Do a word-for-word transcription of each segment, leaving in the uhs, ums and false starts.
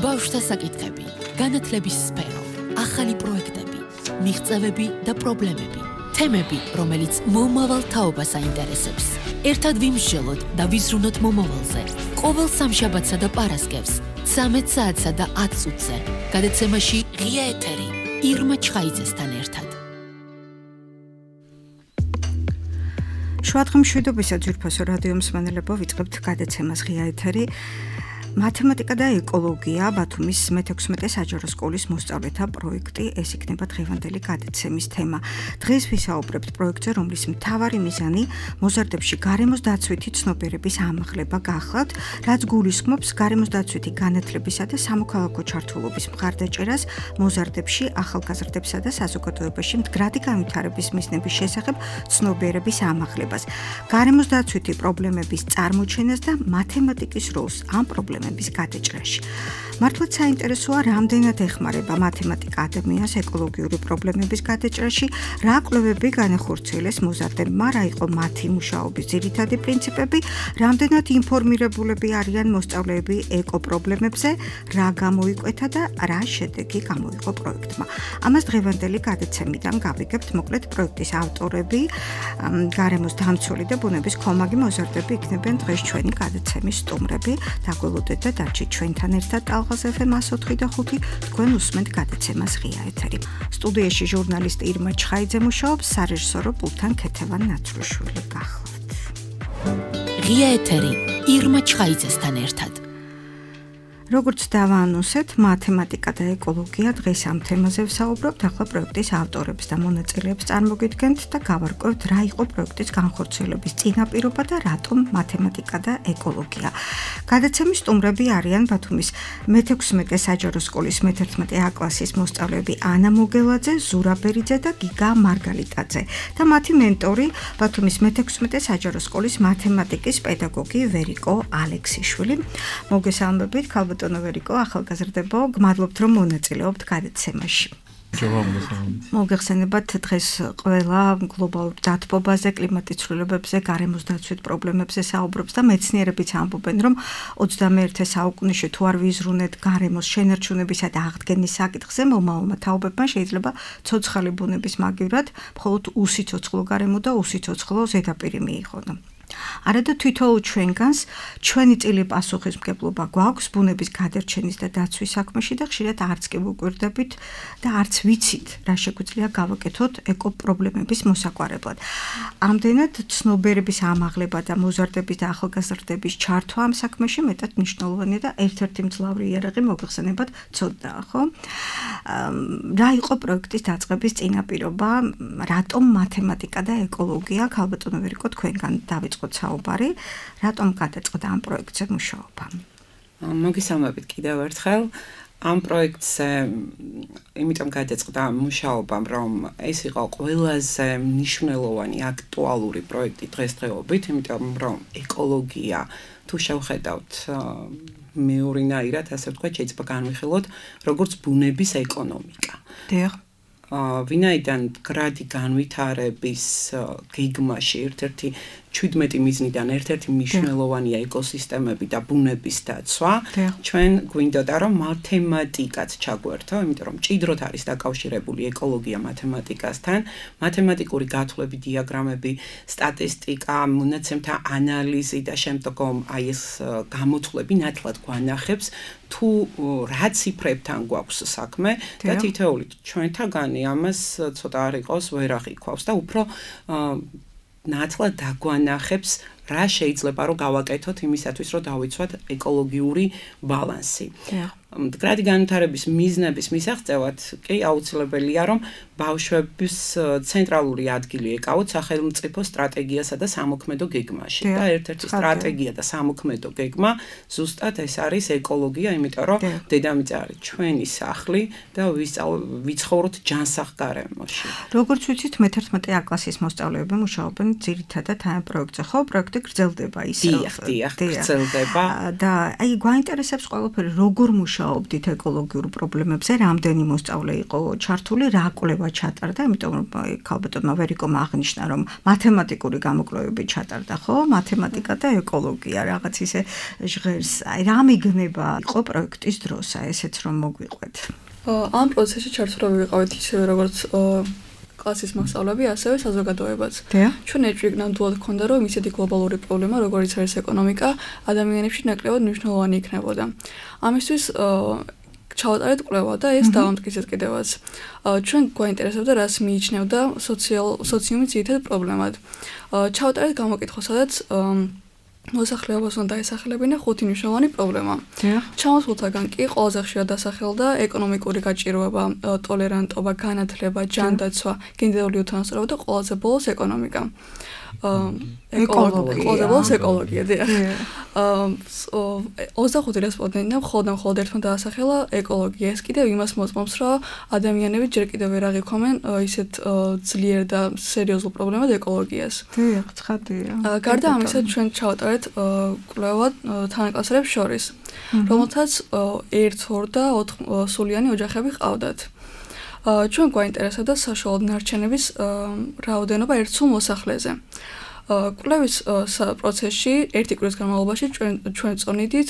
ბავშვთა საკითხები, განათლების სფერო, ახალი პროექტები, მიღწევები და პრობლემები, თემები, რომელიც მომავალ თაობას აინტერესებს. ერთად ვიმსჯელოთ და ვიზრუნოთ მომავალზე. ყოველ სამშაბათსა და პარასკევს, ცამეტ საათსა და ათ წუთზე, გადაცემაში ღია ეთერი, ირმა ჩხაიძესთან ერთად. შუადღე მშვიდობისა ძვირფასო რადიო მსმენელებო, ვიწყებთ გადაცემას ღია ეთერი. მათემატიკა და ეკოლოგია ბათუმის მეთექვსმეტე საჯარო სკოლის მოსწავლეთა პროექტი, ეს იქნება დღევანდელი გადაცემის თემა. დღეს ვისაუბრებთ პროექტზე, რომლის მთავარი მიზანი მოზარდებში გარემოს დაცვითი ცნობიერების ამაღლება გახლავთ, რაც გულისხმობს გარემოს დაცვითი განათლებისა და სამოქალაქო ჩართულობის მხარდაჭერას მოზარდებში, ახალგაზრდებსა და საზოგადოებაში მდგრადი განვითარების მიზნების შესახებ ცნობიერების ამაღლებას, გარემოს დაცვითი პრობლემების წარმოჩენას და მათემატიკის როლს ამ პრობლემებში გადაჭრაში. მართლაც საინტერესოა, რამდენად ეხმარება მათემატიკა ადამიანს ეკოლოგიური პრობლემების გადაჭრაში, რა კვლევები განახორციელეს მოზარდებმა, რა იყო მათი მუშაობის ძირითადი პრინციპები, რამდენად ინფორმირებულები არიან მოსწავლეები ეკოპრობლემებზე, რა გამოიკვეთა და რა შედეგი გამოიღო პროექტმა. ამას დღევანდელი გადაცემიდან გავიგებთ. მოკლედ პროექტის ავტორები, გარემოს დამცველი და ბუნების ქომაგი მოზარდები იქნებიან დღეს ჩვენი გადაცემის სტუმრები. დაგველოდეთ და დარჩით ჩვენთან ერთად ტალღას ეფ ემ εκατო ოთხი და ხუთი, თქვენ უსმენთ გადაცემას ღია ეთერი. სტუდიაში ჟურნალისტი ირმა ჩხაიძე მუშაობს, სარეჟისორო პულტთან ქეთევან ნაცრუშვილი გახლავთ. ღია ეთერი, ირმა ჩხაიძესთან ერთად. როგორც დავაანონსეთ, მათემატიკა და ეკოლოგია დღეს ამ თემაზე ვსაუბრობთ. ახლა პროექტის ავტორებს და მონაწილეებს წარმოგიდგენთ და გავარკვევთ, რა იყო პროექტის განხორციელების წინაპირობა და რატომ მათემატიკა და ეკოლოგია. გადაცემის სტუმრები არიან ბათუმის მეთექვსმეტე საჯარო სკოლის მეთერთმეტე ა კლასის მოსწავლეები ანა მოგელაძე, ზურა ბერიძე და გიგა მარგალიტაძე და მათი მენტორი ბათუმის მეთექვსმეტე საჯარო სკოლის მათემატიკის პედაგოგი ვერიკო ალექსიშვილი. მოგესალმებით, ბატონო ვერიკო, ახალგაზრდებო, გმადლობთ, რომ მონაწილეობთ გადაცემაში. მოგეხსენებათ, დღეს ყველა გლობალურ დათბობაზე, კლიმატის ცვლილებებზე, გარემოს დაცვით პრობლემებზე საუბრობს და მეცნიერებიც ამბობენ, რომ ოცდამეერთე საუკუნეში თუ არ ვიზრუნეთ გარემოს შენარჩუნებისა და აღდგენის საკითხზე, მომავალმა თაობებმა შეიძლება ცოცხალი ბუნების მაგივრად მხოლოდ უსიცოცხლო გარემო და უსიცოცხლო ზედაპირი მიიღონ. არადა თვითოულ ჩვენგანს ჩვენი წილი პასუხისმგებლობა გვაქვს ბუნების გადარჩენის და დაცვის საქმეში და ხშირად არც კი ვუკვირდებით და არც ვიცით, რა შეგვიძლია გავაკეთოთ ეკოპრობლემების მოსაგვარებლად. ამდენად ცნობიერების ამაღლება და მოზარდების და ახალგაზრდების ჩართვა ამ საქმეში მეტად მნიშვნელოვანია და ერთ-ერთი მძლავრი იარაღი მოგეხსენებათ ცოდნაა, ხო? რა იყო პროექტის დაწყების წინაპირობა, რატომ მათემატიკა და ეკოლოგია, ქალბატონო ვერიკო, თქვენგან დავიწყოთ საუბარი, რატომ გადაწყდა ამ პროექტზე მუშაობა? მოგესალმებით კიდევ ერთხელ. ამ პროექტზე იმიტომ გადაწყდა მუშაობა, რომ ეს იყო ყველაზე მნიშვნელოვანი აქტუალური პროექტი დღესდღეობით, იმიტომ რომ ეკოლოგია, თუ შევხედავთ მეორინაირად, ასე ვთქვათ, შეიძლება განვიხილოთ როგორც ბუნების ეკონომიკა. დიახ. ვინაიდან მდგრადი განვითარების გეგმაში ერთ-ერთი ჩვიდმეტი მიზნიდან ერთ-ერთი მნიშვნელოვანია ეკოსისტემები და ბუნების დაცვა, ჩვენ გვინდოდა რომ მათემატიკაც ჩაგვერთო, იმიტომ რომ მჭიდროდ არის დაკავშირებული ეკოლოგია მათემატიკასთან, მათემატიკური გათვლები, დიაგრამები, სტატისტიკა, მონაცემთა ანალიზი და შემდგომ აი ეს გამოთვლები ნათლად გვანახებს თუ რა ციფრებთან გვაქვს საქმე და თითოეული ჩვენთაგანი ამას ცოტა არ იყოს ვერ აღიქვავს და უფრო ნათლად დაგვანახებს რა შეიძლება რომ გავაკეთოთ იმისათვის რომ დავიცვათ ეკოლოგიური ბალანსი. მდგრადი განვითარების მიზნების მისაღწევად კი აუცილებელია რომ ბავშვების ცენტრალური ადგილი ეკავოთ სახელმწიფო სტრატეგიასა და სამოქმედო გეგმაში. და ერთ-ერთი სტრატეგია და სამოქმედო გეგმა ზუსტად ეს არის ეკოლოგია, იმიტომ რომ დედამიწა არის ჩვენი სახლი და ვიცხოვროთ ჯანსაღ გარემოში. როგორც ვიცით, მეთერთმეტე ა კლასის მოსწავლეები მუშაობენ ძირითადად ამ პროექტზე, ხო? პროექტი გრძელდება ისევ. დიახ, დიახ, გრძელდება. და აი გვაინტერესებს ყველაფერი, როგორ მუშაობენ მუშაობდით ეკოლოგიურ პრობლემებზე, რამდენი მოსწავლე იყო ჩართული, რა კვლევა ჩატარდა, იმიტომ რომ ქალბატონმა ვერიკომ აღნიშნა, რომ მათემატიკური გამოკვლევები ჩატარდა, ხო? მათემატიკა და ეკოლოგია რაღაც ისე ჟღერს. აი, რა მიგნება იყო პროექტის დროს, აი ესეც რომ მოგვიყვეთ. ამ პროცესში ჩართულები ვიყავით ისევე როგორც კლასის მასწავლებლები, ასევე საზოგადოებაც. ჩვენ ეჭვი ნამდვილად ჰქონდა, რომ ისეთი გლობალური პრობლემა, როგორიც არის ეკონომიკა, ადამიანებში ნაკლებად მნიშვნელოვანი იქნებოდა. ამისთვის ჩავატარეთ კვლევა და ეს დავამტკიცეთ კიდევაც. ჩვენ გვაინტერესებდა, რას მიიჩნევდა სოციუმის ძირითად პრობლემად. ჩავატარეთ გამოკითხვა, სადაც მოსახლეობას უნდა დაესახელებინა ხუთი მნიშვნელოვანი პრობლემა. ჩამოსულთაგან კი ყველაზე ხშირად დასახელდა ეკონომიკური გაჭირვება, ტოლერანტობა, განათლება, ჯანდაცვა, გენდერული უთანასწორობა და ყველაზე ბოლოს ეკონომიკა. ეკოლოგია. ყველაზე ბოლოს ეკოლოგია, დიახ. ოცდახუთი რესპონდენტმა მხოლოდ მხოლოდ ერთმა დაასახელა ეკოლოგია. ეს კიდევ იმას მოწმობს, რომ ადამიანები ჯერ კიდევ ვერ აღიქვამენ ისეთ ძლიერ და სერიოზულ პრობლემად ეკოლოგიას. დიახ, ცხადია. გარდა ამისა, ჩვენ ჩავატარეთ კვლევა თანაკლასელებს შორის, რომელთაც ერთ, ორ და ოთხ სულიანი ოჯახები ჰყავდათ. ჩვენ გვაინტერესებდა საშუალო ნარჩენების რაოდენობა ერთ სულ მოსახლეზე. კვლევის პროცესში ერთი კვირის განმავლობაში ჩვენ ჩვენ წონიდით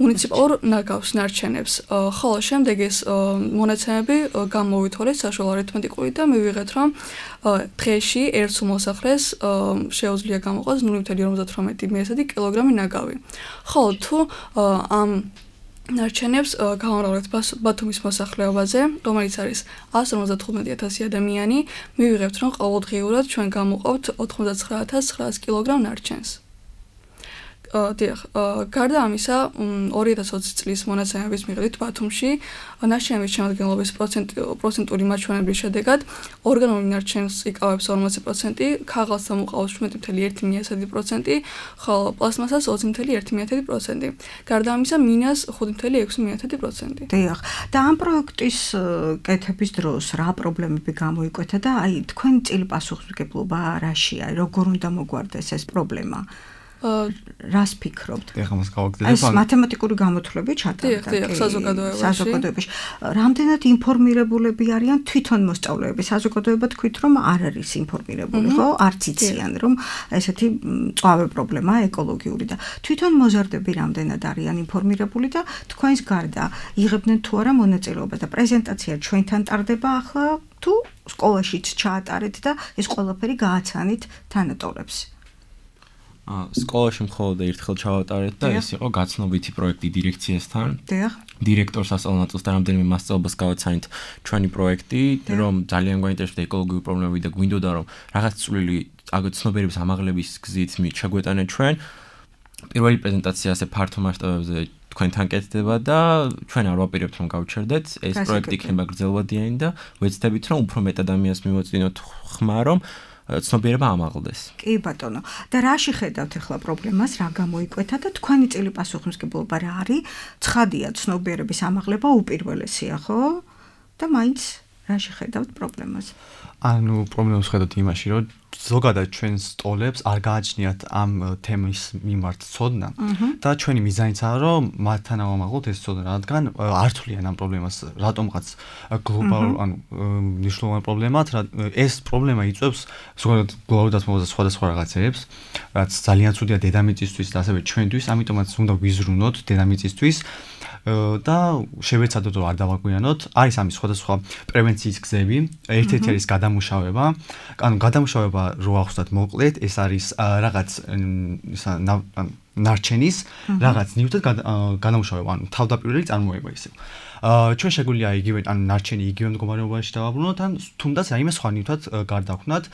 მუნიციპალურ ნაგავს ნარჩენებს, ხოლო შემდეგ ეს მონაცემები გამოვითვალეთ საშუალო არითმეტიკული და მივიღეთ, რომ დღეში ერთ სულ მოსახლეს შეუძლია გამოყოს ნული ოცდაათი მესამედი კილოგრამი ნაგავი. ხოლო თუ ამ ნარჩენებს გავამრავლებთ ბათუმის მოსახლეობაზე, რომელიც არის ასი ორმოცდათხუთმეტი ათასი ადამიანი, მივიღებთ, რომ ყოველდღიურად ჩვენ გამოყავთ ოთხმოცდაცხრა ათას ცხრაას კილოგრამ ნარჩენს. დიახ, გარდა ამისა, ორი ათას ოცი წლის მონაცემების მიხედვით ბათუმში ნარჩენების შემადგენლობის პროცენტული მაჩვენებლის შედეგად ორგანული ნარჩენს იკავებს ორმოცი პროცენტი, ქაღალდს ამოყავს შვიდ ათას ერთი პროცენტი, ხოლო პლასმასას ოცი ათას ერთი პროცენტი. გარდა ამისა, მინას ხუთი ათას ექვსი პროცენტი. დიახ, და ამ პროექტის კეთების დროს რა პრობლემები გამოიკვეთა და აი თქვენი წილი პასუხისმგებლობა რაშია, როგორ უნდა მოგვარდეს ეს პრობლემა? რას ფიქრობთ? ეხლა მას გავაგზავნებ. ეს მათემატიკური გამოთვლები ჩატარდა. დიახ, საზოგადოებაში. საზოგადოებაში. რამდენად ინფორმირებულები არიან თვითონ მოსწავლეები? საზოგადოება თქვით, რომ არ არის ინფორმირებული, ხო? არც იციან, რომ ესეთი მწვავე პრობლემაა ეკოლოგიური და თვითონ მოზარდები რამდენად არიან ინფორმირებული და თქვენს გარდა იღებდნენ თუ არა მონაწილეობა და პრეზენტაცია ჩვენთან ტარდება ახლა თუ სკოლაშიც ჩაატარეთ და ეს ყველაფერი გააცანით თანატოლებს? სკოლაში მხოლოდ ერთხელ ჩავატარეთ და ეს იყო გაცნობითი პროექტი დირექციასთან. დიახ. დირექტორს ასწავლნაწილს და რამდენიმე მასწავლებლას გავაცანით ჩვენი პროექტი, რომ ძალიან გვაინტერესდა ეკოლოგიური პრობლემები და გვინდოდა რომ რაღაც წვლილი ცნობიერების ამაღლების გზით შეგვეტანეთ ჩვენ. პირველი პრეზენტაცია ასე ფართო მასშტაბებზე თქვენთან კეთდება და ჩვენ არ ვაპირებთ რომ გავჩერდეთ. ეს პროექტი იქნება გრძელვადიანი და ვეცდებით რომ უფრო მეტ ადამიანს მივაწვინოთ ხმა რომ ცნობიერება ამაღლდეს. კი ბატონო. და რაში ხედავთ ახლა პრობლემას, რა გამოიკვეთა და თქვენი წილი პასუხისმგებლობა რა არის? ცხადია, ცნობიერების ამაღლება უპირველესია, ხო? და მაინც რაში ხედავთ პრობლემას? ანუ პრობლემას ხედავთ იმაში, რომ ზოგადად ჩვენ სტოლებს არ გააჩნიათ ამ თემის მიმართ ცოდნა და ჩვენი მიზანიცაა, რომ მათთან ავამაღლოთ ეს ცოდნა, რადგან არ თვლიან ამ პრობლემას რატომღაც გლობალურ, ანუ მნიშვნელოვან პრობლემად, ეს პრობლემა იწვევს ზოგადად გლობალურ დათმობაზე სხვადასხვა რაღაცებს, რაც ძალიან ცუდია დედამიწისთვის და ასევე ჩვენთვის, ამიტომაც უნდა ვიზრუნოთ დედამიწისთვის და შევეცადოთ რომ არ დავაგვიანოთ. არის ამის სხვადასხვა პრევენციის გზები, ერთ-ერთი არის გადამუშავება, ანუ გადამუშავება რო ახსნათ მოკლედ, ეს არის რაღაც ისა ნარჩენის რაღაც ნივთად გადამუშავება, ანუ თავდაპირველი წარმოება ისე. ჩვენ შეგვიძლია იგივე ანუ ნარჩენი იგივე მდგომარეობაში დავაბრუნოთ ან თუნდაც რაიმე სხვა ნივთად გარდაქმნათ.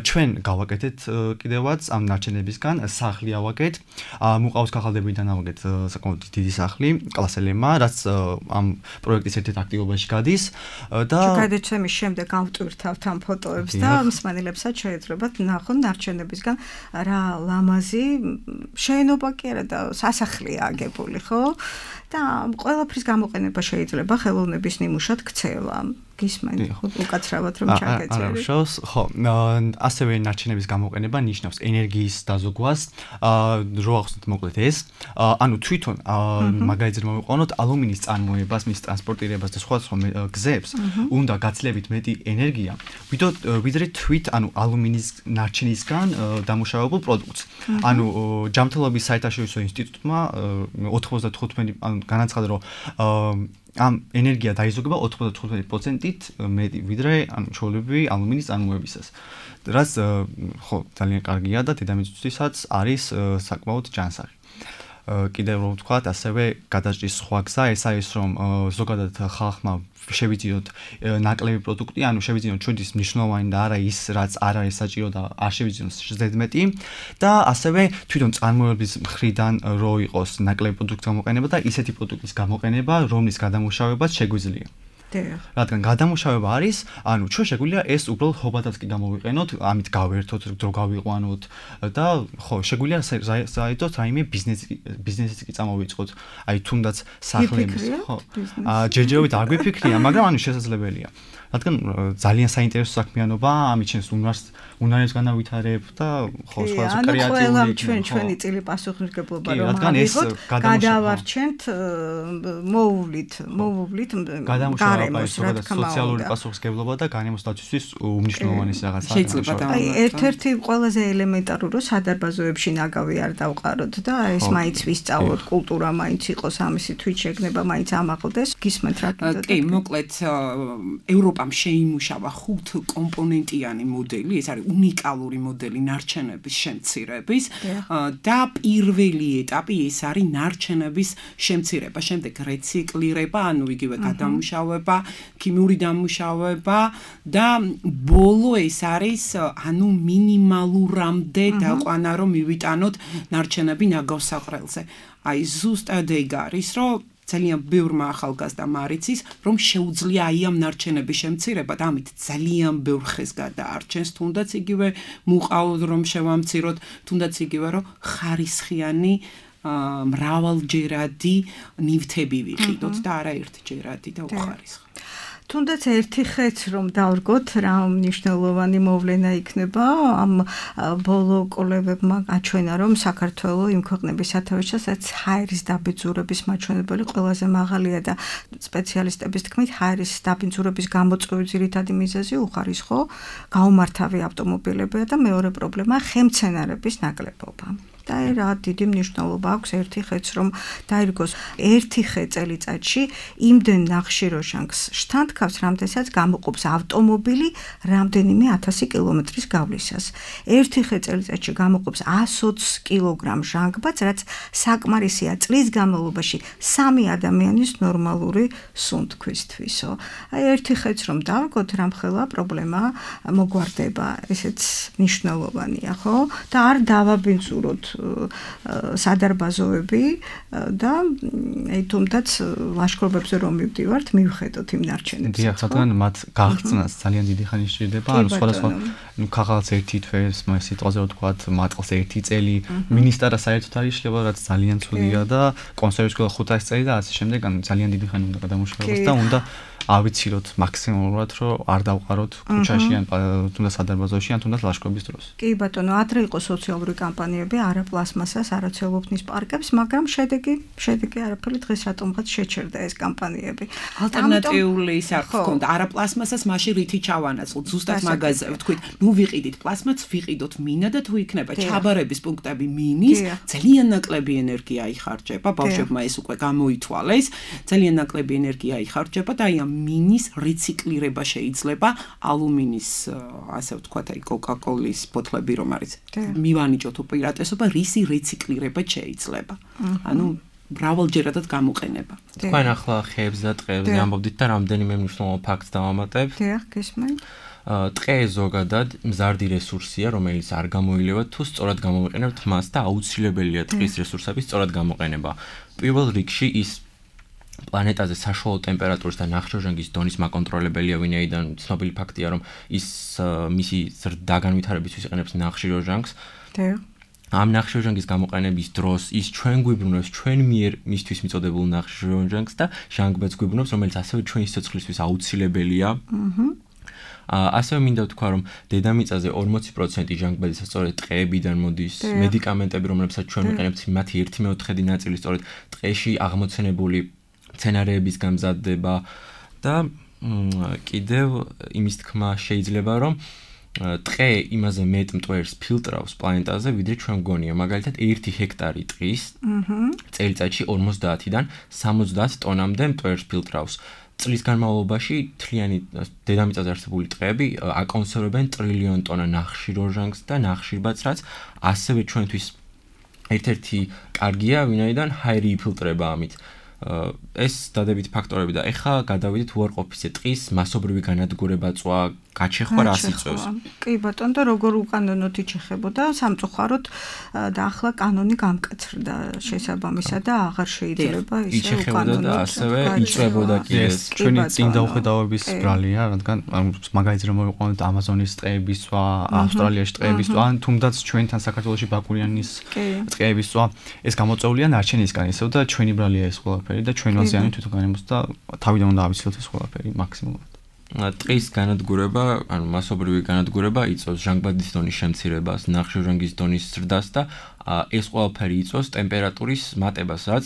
ჩვენ გავაკეთეთ კიდევაც ამ ნარჩენებისგან სახლი ავაგეთ. მუყაოს ქაღალდებიდან ავაგეთ საკმაოდ დიდი სახლი კლასელებმა, რაც ამ პროექტის ერთ-ერთ აქტივობაში გადის და გადაცემის შემდეგ ავტვირთავთ ამ ფოტოებს და მსმენელებსაც შეეძლებათ ნახონ ნარჩენებისგან რა ლამაზი შენობა კი არა და სასახლეა აგებული, ხო? და ყველაფრის გამოყენება შეიძლება ხელოვნების ნიმუშად ქცევა. გისმენთ უკაცრავად რომ ჩაგეწერეთ. არა, უშავს, ხო, ასევე ნარჩენების გამოყენება ნიშნავს ენერგიის დაზოგვას, რო ახსნათ მოკლედ ეს, ანუ თვითონ მაგალითად მოვიყვანოთ ალუმინის წარმოებას, მის ტრანსპორტირებას და სხვა სხვა გზებს, უნდა გაცილებით მეტი ენერგია, ვიდრე თვით, ანუ ალუმინის ნარჩენისგან დამუშავებულ პროდუქტს. ანუ ჯანმრთელობის საერთაშორისო ინსტიტუტმა ოთხმოცდათხუთმეტი ანუ განაცხადა, რომ ამ ენერგია დაიზოგება ოცდათხუთმეტი პროცენტით მეტი ვიდრე ანუ ჩვეულებრივი ალუმინის წარმოებისას. რაც ხო ძალიან კარგია და დედამიწისთვისაც არის საკმაოდ ჯანსაღი. კიდევ რომ ვთქვათ, ასევე გადაჭრის სხვა გზა ეს არის, რომ ზოგადად ხალხმა შევიძინოთ ნაკლები პროდუქტი, ანუ შევიძინოთ ჩვენთვის მნიშვნელოვანი და არა ის, რაც არ არის საჭირო და არ შევიძინოთ ზედმეტი და ასევე თვითონ წარმოების მხრიდან რო იყოს ნაკლები პროდუქტის გამოყენება და ისეთი პროდუქტის გამოყენება, რომლის გადამუშავებაც შეგვიძლია. რადგან გადამუშავება არის, ანუ ჩვენ შეგვიძლია ეს უბრალოდ ჰობადაც კი გამოვიყენოთ, ამით გავერთოთ, დრო გავიყვანოთ და ხო, შეგვიძლია საერთოდ რაიმე ბიზნესი ბიზნესიც კი წამოვიწყოთ, აი თუნდაც სახლების, ხო. აა ჯერჯერობით არ გვიფიქრია, მაგრამ ანუ შესაძლებელია. რადგან ძალიან საინტერესო საქმიანობა, ამით ჩვენს უნარს უნარებს განავითარებ და ხო სხვა სხვა კრეატიული. ანუ ყველა ჩვენ ჩვენი წილი პასუხისმგებლობა რომ ავიღოთ, გადავარჩენთ, მოუვლით, მოუვლით გარემოს, რა თქმა უნდა. სოციალური პასუხისმგებლობა და გარემოს დაცვისთვის უმნიშვნელოვანეს რაღაცა. შეიძლება და აი ერთ-ერთი ყველაზე ელემენტარული რომ სადარბაზოებში ნაგავი არ დავყაროთ და ეს მაინც ვისწავლოთ, კულტურა მაინც იყოს ამისი თვით შეგნება მაინც ამაყლდეს. გისმენთ რა კიდე. კი, მოკლედ ევროპამ შეიმუშავა ხუთ კომპონენტიანი მოდელი, ეს არის უნიკალური მოდელი ნარჩენების შემცირების და პირველი ეტაპი ეს არის ნარჩენების შემცირება, შემდეგ რეციკლირება, ანუ იგივე გადამუშავება, ქიმიური დამუშავება და ბოლო ეს არის ანუ მინიმალურამდე დაყვანა რომ მივიტანოთ ნარჩენები ნაგავსაყრელზე. აი ზუსტად ეგ არის, რომ ძალიან ბევრმა ახალგაზრდამ არიცის, რომ შეუძლია აი ამ ნარჩენების შემცირება და ამით ძალიან ბევრ ხეს გადაარჩენს, თუნდაც იგივე მუყაოდ რომ შევამციროთ, თუნდაც იგივე რომ ხარისხიანი მრავალჯერადი ნივთები ვიყიდოთ და არა ერთჯერადი და უხარისხო. თუნდაც ერთი ხეც რომ დავრგოთ, რა მნიშვნელოვანი მოვლენა იქნება, ამ ბოლო კოლევებმა აჩვენა, რომ საქართველოს იმ ქვეყნების სათავეში, სადაც ჰაერის დაბინძურების მაჩვენებელი ყველაზე მაღალია და სპეციალისტების თქმით, ჰაერის დაბინძურების გამოწვევის ძირითადი მიზეზი უხარისხო გაუმართავი ავტომობილებია და მეორე პრობლემა ხემცენარების ნაკლებობა. და რა დიდი მნიშვნელობა აქვს ერთი ხეც რომ დაირგოს ერთი ხე წელიწადში იმდენ ნახშირორჟანგს შთანთქავს, რამდენსაც გამოყოფს ავტომობილი რამდენიმე ათასი კილომეტრის გავლისას. ერთი ხე წელიწადში გამოყოფს ათს კილოგრამ ჟანგბადს, რაც საკმარისია წლის განმავლობაში სამი ადამიანის ნორმალური სუნთქვისთვისო. აი ერთი ხეც რომ დავირგოთ, რამხელა პრობლემა მოგვარდება, ესეც მნიშვნელოვანია, ხო? და არ დავაბინძუროთ სადარბაზოები და აი თუმდაც ლაშქრობებზე რომ მივდივართ, მივხედოთ იმ ნარჩენებს. დიახ, რადგან მათ გაღწნას ძალიან დიდი ხანი შეიძლება, ანუ სხვადასხვა ნუ ქაღალდს ერთი თვეს, მას სიტყვაზე ვთქვათ, მატყლს ერთი წელი, მინისტრა საერთოდ არ იშლება, რაც ძალიან ცუდია და კონსერვის ყველა ხუთასი წელი და ასე შემდეგ, ანუ ძალიან დიდი ხანი უნდა გადამუშავებას და უნდა ავიცილოთ მაქსიმალურად, რომ არ დავყაროთ ქუჩაში ან თუნდაც სადარბაზოში ან თუნდაც ლაშქრობის დროს. კი ბატონო, ადრე იყო სოციალური კამპანიები, არა პლასმასას, არა ცელოფნის პარკებს, მაგრამ შედეგი, შედეგი არაფერი დღეს რატომღაც შეჩერდა ეს კამპანიები. ალტერნატიული საქმე ჰქონდა, არა პლასმასას, მაშინ რითი ჩავანაცვლოთ, ზუსტად მაგაზე ვთქვით, ნუ ვიყიდით პლასმას, ვიყიდოთ მინა და თუ იქნება ჩაბარების პუნქტები მინის, ძალიან ნაკლები ენერგია იხარჯება, ბავშვებმა ეს უკვე გამოითვალეს, ძალიან ნაკლები ენერგია იხარჯება და აი ამ მინის რეციკლირება შეიძლება, ალუმინის, ასე ვთქვათ, აი კოკა-კოლის ბოთლები რომ არის. მივანიჭოთ უპირატესობა, რისი რეციკლირება შეიძლება. ანუ მრავალჯერადად გამოყენება. თქვენ ახლა ხეებს და ტყეებზე ამბობდით და რამდენიმე მნიშვნელოვან ფაქტს დავამატებ. დიახ, გისმენთ. ტყე ზოგადად მზარდი რესურსია, რომელიც არ გამოილევა თუ სწორად გამოვიყენებთ მას და აუცილებელია ტყის რესურსების სწორად გამოყენება. პირველ რიგში ის პლანეტაზე საშუალო ტემპერატურის და ნახშირორჟანგის დონის მაკონტროლებელია, ვინაიდან ცნობილი ფაქტია, რომ ის მისი ზრდა განვითარებისთვის იყენებს ნახშირორჟანგს. ამ ნახშირორჟანგის გამოყენების დროს ის ჩვენ გვიბრუნებს ჩვენ მიერ მისთვის მიწოდებულ ნახშირორჟანგს და ჟანგბადს გვიბრუნებს, რომელიც ასევე ჩვენი სიცოცხლისთვის აუცილებელია. აჰა. ასევე მინდა ვთქვა, რომ დედამიწაზე ორმოცი პროცენტი ჟანგბადის სწორედ ტყეებიდან მოდის. მედიკამენტები, რომლებსაც ჩვენ ვიყენებთ, მათი ერთი მეოთხედი ნაწილი სწორედ ტყეში აღმოცენებული მცენარეებისგან მზადდება და კიდევ იმის თქმა შეიძლება, რომ ტყე იმაზე მეტ მტვერს ფილტრავს პლანეტაზე, ვიდრე ჩვენ გონია. მაგალითად, ერთი ჰექტარი ტყის წელიწადში ორმოცდაათიდან სამოცდაათ ტონამდე მტვერს ფილტრავს. წლის განმავლობაში თლიანი დედამიწაზე არსებული ტყეები აკონსერვებენ ტრილიონ ტონა ნახშირორჟანგს და ნახშირბადს, რაც ასევე ჩვენთვის ერთ-ერთი კარგია, ვინაიდან ჰაერი იფილტრება ამით. ეს დადებითი ფაქტორები და ეხლა გადავიდეთ უარყოფითზე ტყის მასობრივი განადგურება წვა გაჩეხვა რას იწვევს? კი ბატონო, და როგორ უკანონოდ იჩეხებოდა სამწუხაროდ და ახლა კანონი გამკაცრდა შესაბამისად და აღარ შეიძლება ისე უკანონოდ და ასევე იწვევოდა კიდე. ეს ჩვენი წინ დაუხედავების ბრალია, რადგან მაგალითად რომ მოვიყვანოთ ამაზონის ტყეების წვა, ავსტრალიაში ტყეების წვა, ან თუნდაც ჩვენთან საქართველოში ბაკურიანის ტყეების წვა, ეს გამოწვეულია ნარჩენისგან ისევ და ჩვენი ბრალია ეს ყველაფერი და ჩვენ ვაზიანებთ თვითონ განემოს და თავიდან უნდა ავიცილოთ ეს ყველაფერი მაქსიმუმად. ტყის განადგურება, ანუ მასობრივი განადგურება იწვევს ჟანგბადის დონის შემცირებას, ნახშირორჟანგის დონის ზრდას და ეს ყველაფერი იწვევს ტემპერატურის მატებას, რაც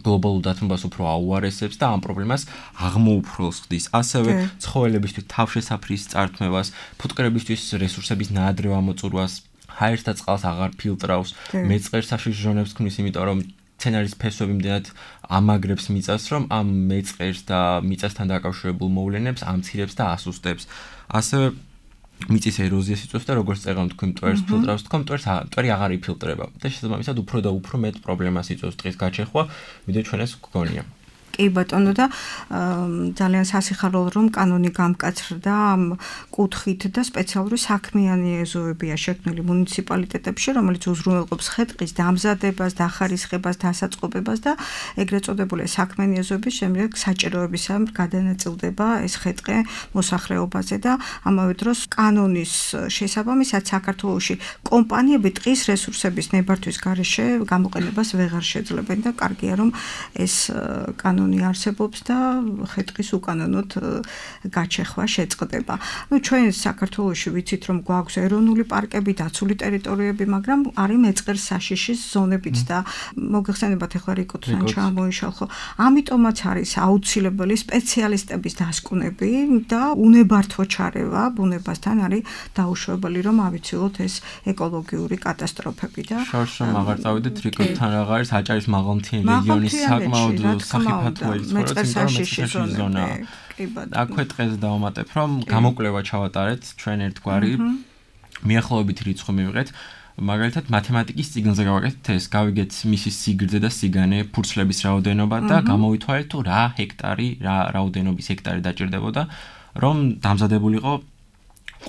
გლობალურ დათმობას უფრო აუარესებს და ამ პრობლემას აღმოუფროს ხდის. ასევე ცხოველებისთვის თავშესაფრის წართმევას, ფუტკრებისთვის რესურსების ნაადრევ ამოწურვას, ჰაერს და წყალს აღარ ფილტრავს, მეწყერ საშიშ ჟონებს ქმნის, იმიტომ რომ სცენარის ფესვები მდენად ამაგრებს მიწას, რომ ამ მეწყერს და მიწასთან დაკავშირებულ მოვლენებს ამცირებს და ასუსტებს. ასევე მიწის ეროზიას იწვევს და როგორც წეღავ თქვენ მტვერს ფილტრავს, თქვენ მტვერს მტვერი აღარ იფილტრება და შესაბამისად უფრო და უფრო მეტ პრობლემას იწვევს ტყის გაჩეხვა, ვიდრე ჩვენ ეს გვგონია. კი ბატონო და ძალიან სასიხარულო რომ კანონი გამკაცრდა ამ კუთხით და სპეციალური საქმიანი ეზოებია შექმნილი მუნიციპალიტეტებში, რომელიც უზრუნველყოფს ხე-ტყის დამზადებას, დახარისხებას, დასაწყობებას და ეგრეთ წოდებული საქმიანი ეზოების შემდეგ საჭიროებისამ გადანაწილდება ეს ხე-ტყე მოსახლეობაზე და ამავე დროს კანონის შესაბამისად საქართველოში კომპანიები ტყის რესურსების ნებართვის გარეშე გამოყენებას ვეღარ შეძლებენ და კარგია რომ ეს კანონი არსებობს და ხე-ტყის უკანონოდ გაჩეხვა შეწყდება. ნუ ჩვენ საქართველოში ვიცით რომ გვაქვს ეროვნული პარკები, დაცული ტერიტორიები, მაგრამ არის მეწყერს საშიშის ზონებიც და მოგეხსენებათ ახლა რიკოთან ჩამოიშალხო. ამიტომაც არის აუცილებელი სპეციალისტების დასკვნები და უნებართვო ჩარევა ბუნებასთან არის დაუშვებელი რომ ავიცილოთ ეს ეკოლოგიური კატასტროფები და შორშომ აღარ წავიდეთ რიკოთან აღარ არის აჭარის მაღალმთიანი რეგიონის საკმაოდ სახიფათო მეწყერსაშიშის ზონა. აქვე დღეს დავამატებ რომ გამოკვლევა ჩავატარეთ ჩვენ ერთგვარი მიახლოებით რიცხვი მივიღეთ. მაგალითად მათემატიკის წიგნზე გავაკეთეთ ეს, გავიგეთ მისი სიგრძე და სიგანე, ფურცლების რაოდენობა და გამოვითვალეთ თუ რა ჰექტარი, რა რაოდენობის ჰექტარი დაჭირდებოდა, რომ დამზადებულიყო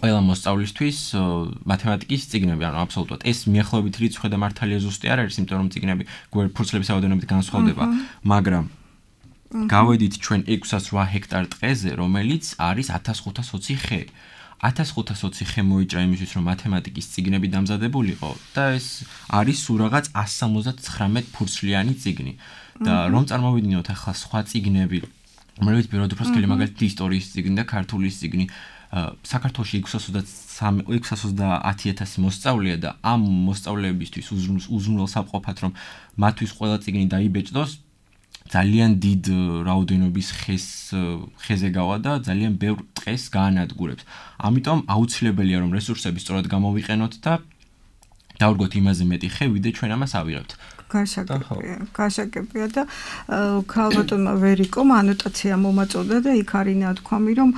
ყველა მოსწავლისთვის მათემატიკის წიგნები, ანუ აბსოლუტურად ეს მიახლოებით რიცხვი და მართალია ზუსტი არ არის, იმიტომ რომ წიგნები ფურცლების რაოდენობით განსხვავდება, მაგრამ გავედით ჩვენ ექვსას რვა ჰექტარ ტყეზე, რომელიც არის ათას ხუთას ოცი ხე. ათას ხუთას ოცი ხე მოიჭრა იმისთვის, რომ მათემატიკის წიგნები დამზადებულიყო და ეს არის სულ რაღაც ასი სამოცდათხრამეტ ფურცლიანი წიგნი. და რომ წარმოვიდგინოთ ახლა სხვა წიგნები, რომლებიც პირველად უფრო სქელი, მაგალითად ისტორიის წიგნი და ქართულის წიგნი, საქართველოში ექვსას ოცდაათი ათასი მოსწავლეა და ამ მოსწავლეებისთვის უზრუნველს აპყოფათ, რომ მათთვის ყველა წიგნი დაიბეჭდოს, ძალიან დიდ რაოდენობის ხეს ხეზე გავა და ძალიან ბევრ ტყეს გაანადგურებს. ამიტომ აუცილებელია რომ რესურსები სწორად გამოვიყენოთ და დავდგოთ იმაზე მეტი ხე, ვიდრე ჩვენ ამას ავიღებთ. გასაგებია, გასაგებია და ქალბატონმა ვერიკომ ანოტაცია მომაწოდა და იქ არის ნათქვამი, რომ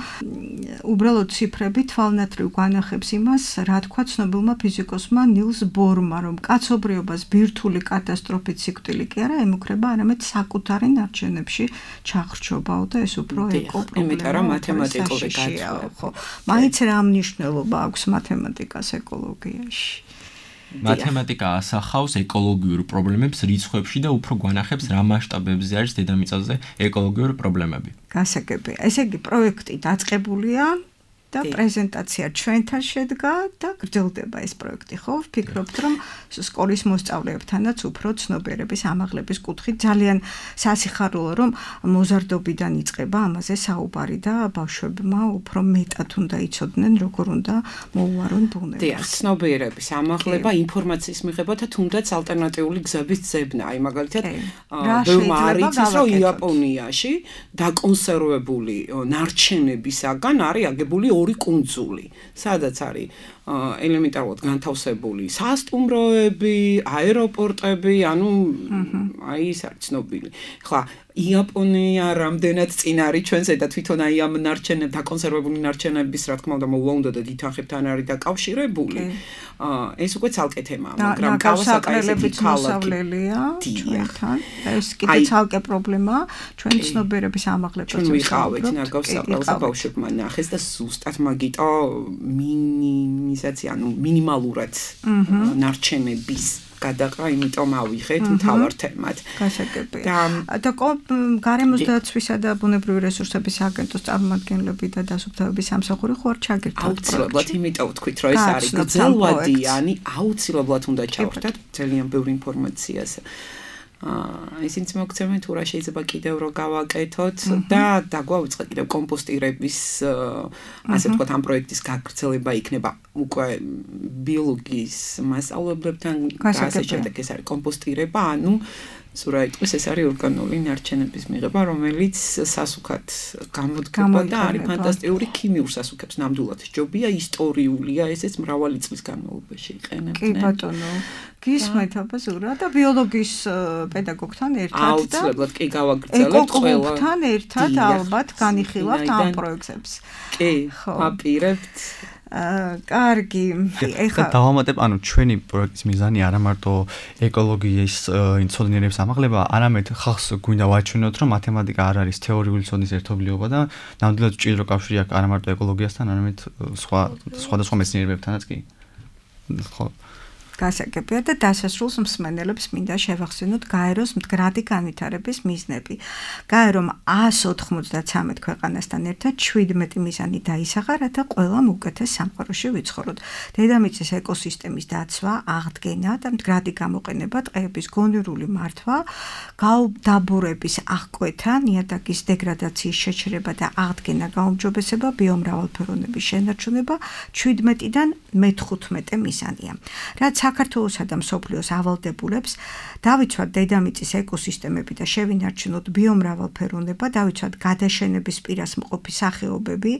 უბრალოდ ციფრები თვალნათრივ განახებს იმას, რა თქვა ცნობილმა ფიზიკოსმა ნილს ბორმა, რომ კაცობრიობას ბირთვული კატასტროფით სიკვდილი კი არა ემუქრება, არამედ sakutari ნარჩენებში ჩახრჩობაო და ეს უფრო ეკო პრობლემა, მათემატიკური გაცხრა, ხო. მაინც რა მნიშვნელობა აქვს მათემატიკას ეკოლოგიაში? მათემატიკა ასახავს ეკოლოგიურ პრობლემებს რიცხვებში და უფრო გვანახებს რა მასშტაბებზე არის დედამიწაზე ეკოლოგიური პრობლემები. გასაგებია. ესე იგი პროექტი დაწყებულია და პრეზენტაცია ჩვენთან შედგა და გრძელდება ეს პროექტი, ხო? ვფიქრობთ, რომ სკოლის მოსწავლეებთანაც უფრო ცნობიერების ამაღლების კუთხით ძალიან სასიხარულო, რომ მოზარდობიდან იწყება ამაზე საუბარი და ბავშვებმა უფრო მეტად უნდა იცოდნენ, როგორ უნდა მოუარონ ბუნებას. დიახ, ცნობიერების ამაღლება, ინფორმაციის მიღება და თუნდაც ალტერნატიული გზების ძებნა. აი მაგალითად, ბევრმა არ იცის, რომ იაპონიაში დაკონსერვებული ნარჩენებისაგან არის აგებული ორი კუნძული, სადაც არის ელემენტარულად განთავსებული სასტუმროები, აეროპორტები, ანუ აი ის არის ცნობილი. ხლა იაპონია რამდენად წინ არის ჩვენზე და თვითონ აი ამ ნარჩენებ დაკონსერვებული ნარჩენების რა თქმა უნდა მოულა უნდა და თვითონხებთან არის დაკავშირებული. ეს უკვე ცალკე თემაა, მაგრამ გავასაკრელებით მოსავლელია ჩვენთან. ეს კიდე ცალკე პრობლემაა, ჩვენ ცნობიერების ამაღლებას ჩვენ ვიყავით ნაგავსაყრელს და ბავშვებმა ნახეს და ზუსტად მაგიტო მინიმიზაცია, ანუ მინიმალურად ნარჩენების გადაყრა, იმიტომ ავიღეთ მთავარ თემად. გასაგებია. და გარემოს დაცვისა და ბუნებრივი რესურსების აგენტოს წარმომადგენლები და დასუფთავების სამსახური ხო არ ჩაგერთვათ? აუცილებლად, იმიტომ ვთქვით, რომ ეს არის გრძელვადიანი, აუცილებლად უნდა ჩავხვდეთ ძალიან ბევრი ინფორმაციას. აა ისინიც მოგცემენ თუ რა შეიძლება კიდევ რო გავაკეთოთ და დაგვაუწყეთ კიდევ კომპოსტირების ასე ვთქვათ ამ პროექტის გაგრძელება იქნება უკვე ბიოლოგიის მასწავლებლებთან და ასე შემდეგ ეს არის კომპოსტირება, ანუ სურა იტყვის ეს არის ორგანული ნარჩენების მიღება, რომელიც სასუქად გამოდგება და არის ფანტასტიკური ქიმიურ სასუქებს ნამდვილად ჯობია, ისტორიულია, ესეც მრავალი წლის განმავლობაში იყენებდნენ. კი ბატონო, გისმენთ აბა ზურა და ბიოლოგიის პედაგოგთან ერთად და აუცილებლად კი გავაგრძელებთ ყველა. ეკოკლუბთან ერთად ალბათ განიხილავთ ამ პროექტებს. კი, აპირებთ. აა კარგი, ეხლა დავამატებ, ანუ ჩვენი პროექტის მიზანი არა მარტო ეკოლოგიის ცოდნიერების ამაღლება, არამედ ხალხს გვინდა ვაჩვენოთ, რომ მათემატიკა არ არის თეორიული ცოდნის ერთობლიობა და ნამდვილად ჭიდრო კავშირი აქვს არა მარტო ეკოლოგიასთან, არამედ სხვა სხვადასხვა მეცნიერებებთანაც კი. ხო. გასაგებია და დასასრულს მსმენელებს მინდა შევახსენოთ გაეროს მდგრადი განვითარების მიზნები. გაერომ ას ოთხმოცდათსამეტ ქვეყანასთან ერთად შვიდმეტი მიზანი დაისახა, რათა ყველამ უკეთეს სამყაროში ვიცხოვროთ. დედამიწის ეკოსისტემის დაცვა, აღდგენა და მდგრადი გამოყენება, ტყეების გონივრული მართვა, გაუდაბურების აღკვეთა, ნიადაგის დეგრადაციის შეჩერება და აღდგენა გაუმჯობესება, ბიომრავალფეროვნების შენარჩუნება შვიდმეტიდან მეთხუთმეტე მიზანია. რაც საქართველოსა და მსოფლიოს ავალდებულებს დავიცვათ დედამიწის ეკოსისტემები და შევინარჩუნოთ ბიომრავალფეროვნება, დავიცვათ გადაშენების პირას მყოფი სახეობები,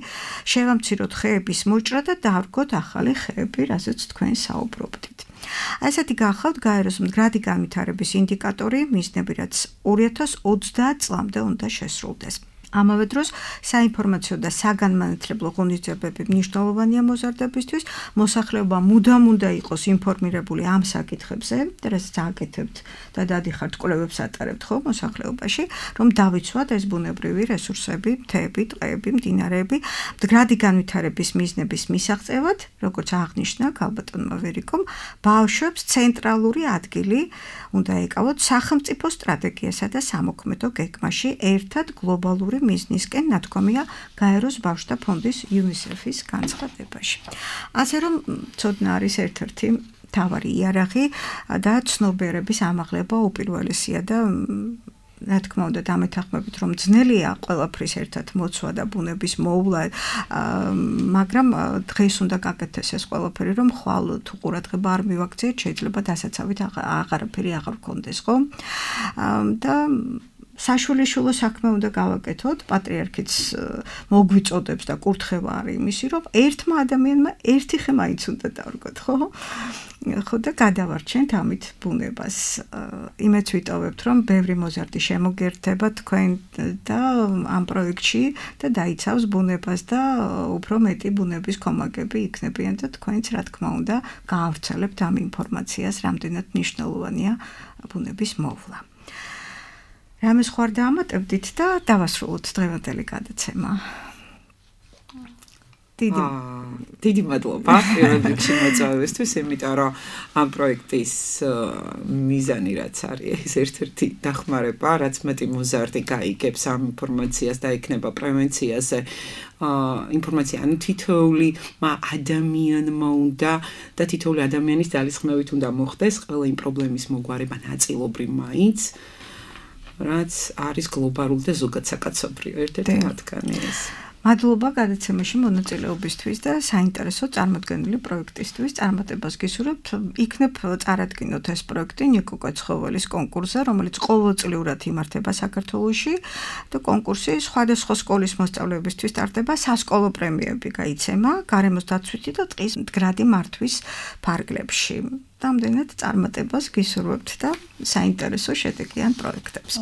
შევამციროთ ხეების მოჭრა და დავრგოთ ახალი ხეები, რაზეც თქვენ საუბრობდით. ასეთი გახავთ გაეროს მდგრადი განვითარების ინდიკატორი, მიზნები, რაც ორი ათას ოცდაათ წლამდე უნდა შესრულდეს. ამავე დროს საინფორმაციო და საგანმანათლებლო ღონისძიებები მნიშვნელოვანია მოზარდებისთვის, მოსახლეობა მუდამ უნდა იყოს ინფორმირებული ამ საკითხებზე, რასაც აკეთებთ და დადიხართ კვლევებს ატარებთ ხო მოსახლეობაში, რომ დავიცვათ ეს ბუნებრივი რესურსები, მთები, ტყეები, მდინარეები, მდგრადი განვითარების მიზნების მისაღწევად, როგორც აღნიშნა ქალბატონმა ვერიკომ, ბავშვებს ცენტრალური ადგილი უნდა ეკავოთ სახელმწიფო სტრატეგიასა და სამოქმედო გეგმაში, ერთად გლობალური მიზნისკენ ნათქვამია გაეროს ბავშვთა ფონდის იუნისეფის განცხადებაში. ასე რომ ცოდნა არის ერთ-ერთი მთავარი იარაღი და ცნობიერების ამაღლება უპირველესია და რა თქმა უნდა დამეთანხმებით რომ ძნელია ყველაფრის ერთად მოცვა და ბუნების მოუვლა, მაგრამ დღეს უნდა გაკეთდეს ეს ყველაფერი, რომ ხვალ თუ ყურადღება არ მივაქციეთ, შეიძლება დასაცავით აღარაფერი აღარ გქონდეს, ხო? და საშვილიშვილო საქმე უნდა გავაკეთოთ, პატრიარქიც მოგვიწოდებს და კურთხევა არის იმისი, რომ ერთმა ადამიანმა ერთი ხე მაინც უნდა დავრგოთ, ხო? ხო და გადავარჩენთ ამით ბუნებას. იმეც ვიტოვებთ, რომ ბევრი მოზარდი შემოგერთება თქვენ და ამ პროექტში და დაიცავს ბუნებას და უფრო მეტი ბუნების კომაგები იქნებიან და თქვენც რა თქმა უნდა გაავრცელებთ ამ ინფორმაციას, რამდენად მნიშვნელოვანია ბუნების მოვლა. რამე სხვა არ დაამატებდით და დავასრულოთ დღევანდელი გადაცემა. დიდი დიდი მადლობა პირველ რიგში მოწვევისთვის, იმიტომ რომ ამ პროექტის მიზანი რაც არის, ეს ერთ-ერთი დახმარება, რაც მეტი მოზარდი გაიგებს ამ ინფორმაციას და იქნება პრევენციაზე ინფორმაცია, ანუ თითოეული ადამიანმა უნდა და თითოეული ადამიანის ძალისხმევით უნდა მოხდეს ყველა იმ პრობლემის მოგვარება ნაწილობრივ მაინც, რაც არის გლობალური და ზოგად საკაცობრიო ერთ-ერთი მათგანი ეს. მადლობა გადაცემაში მონაწილეობისთვის და საინტერესო წარმოდგენილი პროექტისთვის. წარმატებას გისურვებთ. იქნებ წარადგინოთ ეს პროექტი ნიკო კოცხოველის კონკურსზე, რომელიც ყოველწლიურად იმართება საქართველოში და კონკურსი სხვადასხვა სკოლის მოსწავლეებისთვის ტარდება, სასკოლო პრემიები გაიცემა, გარემოს დაცვითი და ტყის მდგრადი მართვის ფარგლებში. Რამდენად წარმატებას გისურვებთ და საინტერესო შედეგიან პროექტებს.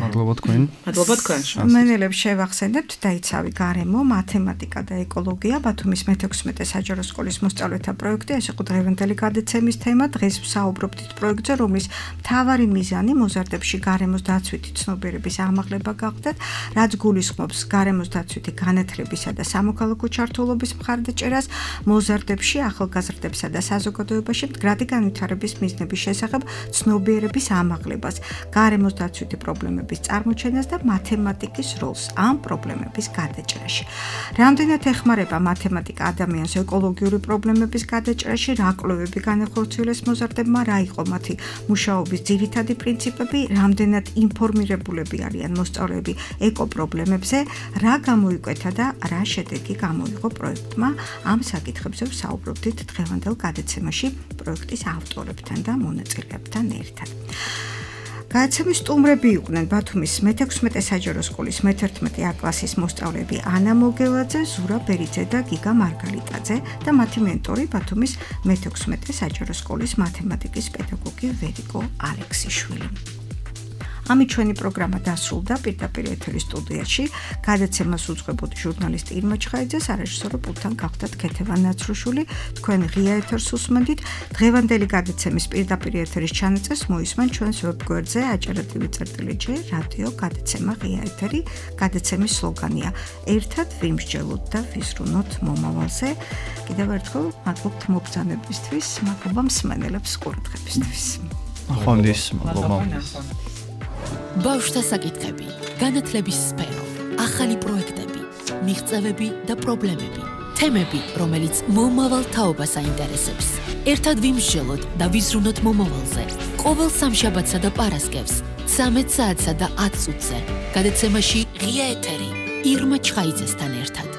მადლობა თქვენ. მადლობა თქვენ. მენელებს შევახსენებთ დაიცავი გარემო, მათემატიკა და ეკოლოგია ბათუმის მეთექვსმეტე საჯარო სკოლის მოსწავლეთა პროექტი. ეს იყო დღევანდელი გადაცემის თემა. დღეს ვსაუბრობთ პროექტზე, რომლის მთავარი მიზანი მოზარდებში გარემოს დაცვითი ცნობიერების ამაღლება გახდათ, რაც გულისხმობს გარემოს დაცვითი განათლებისა და სამოქალაქო ჩართულობის მხარდაჭერას მოზარდებში, ახალგაზრდებსა და საზოგადოებაში მდგრადი განვითარების მიზნების შესახებ ცნობიერების ამაღლებას, გარემოს დაცვითი პრობლემების წარმოჩენას და მათემატიკის როლს ამ პრობლემების გადაჭრაში. რამდენად ეხმარება მათემატიკა ადამიანს ეკოლოგიური პრობლემების გადაჭრაში, რა კვლევები განახორციელეს მოზარდებმა, რა იყო მათი მუშაობის ძირითადი პრინციპები, რამდენად ინფორმირებულები არიან მოსწავლეები ეკოპრობლემებზე, რა გამოიკვეთა და რა შედეგი გამოიღო პროექტმა. ამ საკითხებზე ვსაუბრობდით დღევანდელ გადაცემაში პროექტის ავტორებთან და მონაწილეებთან ერთად. გადაცემის სტუმრები იყვნენ ბათუმის მეთექვსმეტე საჯარო სკოლის მეთერთმეტე A კლასის მოსწავლეები ანა მოგელაძე, ზურა ბერიძე და გიგა მარგალიტაძე და მათი მენტორი ბათუმის მეთექვსმეტე საჯარო სკოლის მათემატიკის პედაგოგი ვერიკო ალექსიშვილი. ამით ჩვენი პროგრამა დასრულდა პირდაპირ ეთერის სტუდიაში. გადაცემას უძღვებოდი ჟურნალისტი ირმა ჩხაიძე, სარეჟისორო პულტთან გახდათ ქეთევან ნაცრუშვილი. თქვენ ღია ეთერს უსმენთ. დღევანდელი გადაცემის პირდაპირ ეთერის ჩანაწერს მოისმენ ჩვენს ვებგვერდზე აჭარა.tv წერტილი ჯე რადიო გადაცემა ღია ეთერი. გადაცემის სლოგანია: ერთად ვიმსჯელოთ და ვიზრუნოთ მომავალზე. კიდევ ერთხელ მადლობთ მობრძანებისთვის, მადლობა მსმენელებს ყურადღებისთვის. ახონდის მადლობა. ბავშვთა საკითხები, განათლების სფერო, ახალი პროექტები, მიღწევები და პრობლემები, თემები, რომელიც მომავალ თაობას აინტერესებს. ერთად ვიმსჯელოთ და ვიზრუნოთ მომავალზე. ყოველ სამშაბათსა და პარასკევს, ცამეტ საათსა და ათ წუთზე. გადაცემაში ღია ეთერი ირმა ჩხაიძესთან ერთად.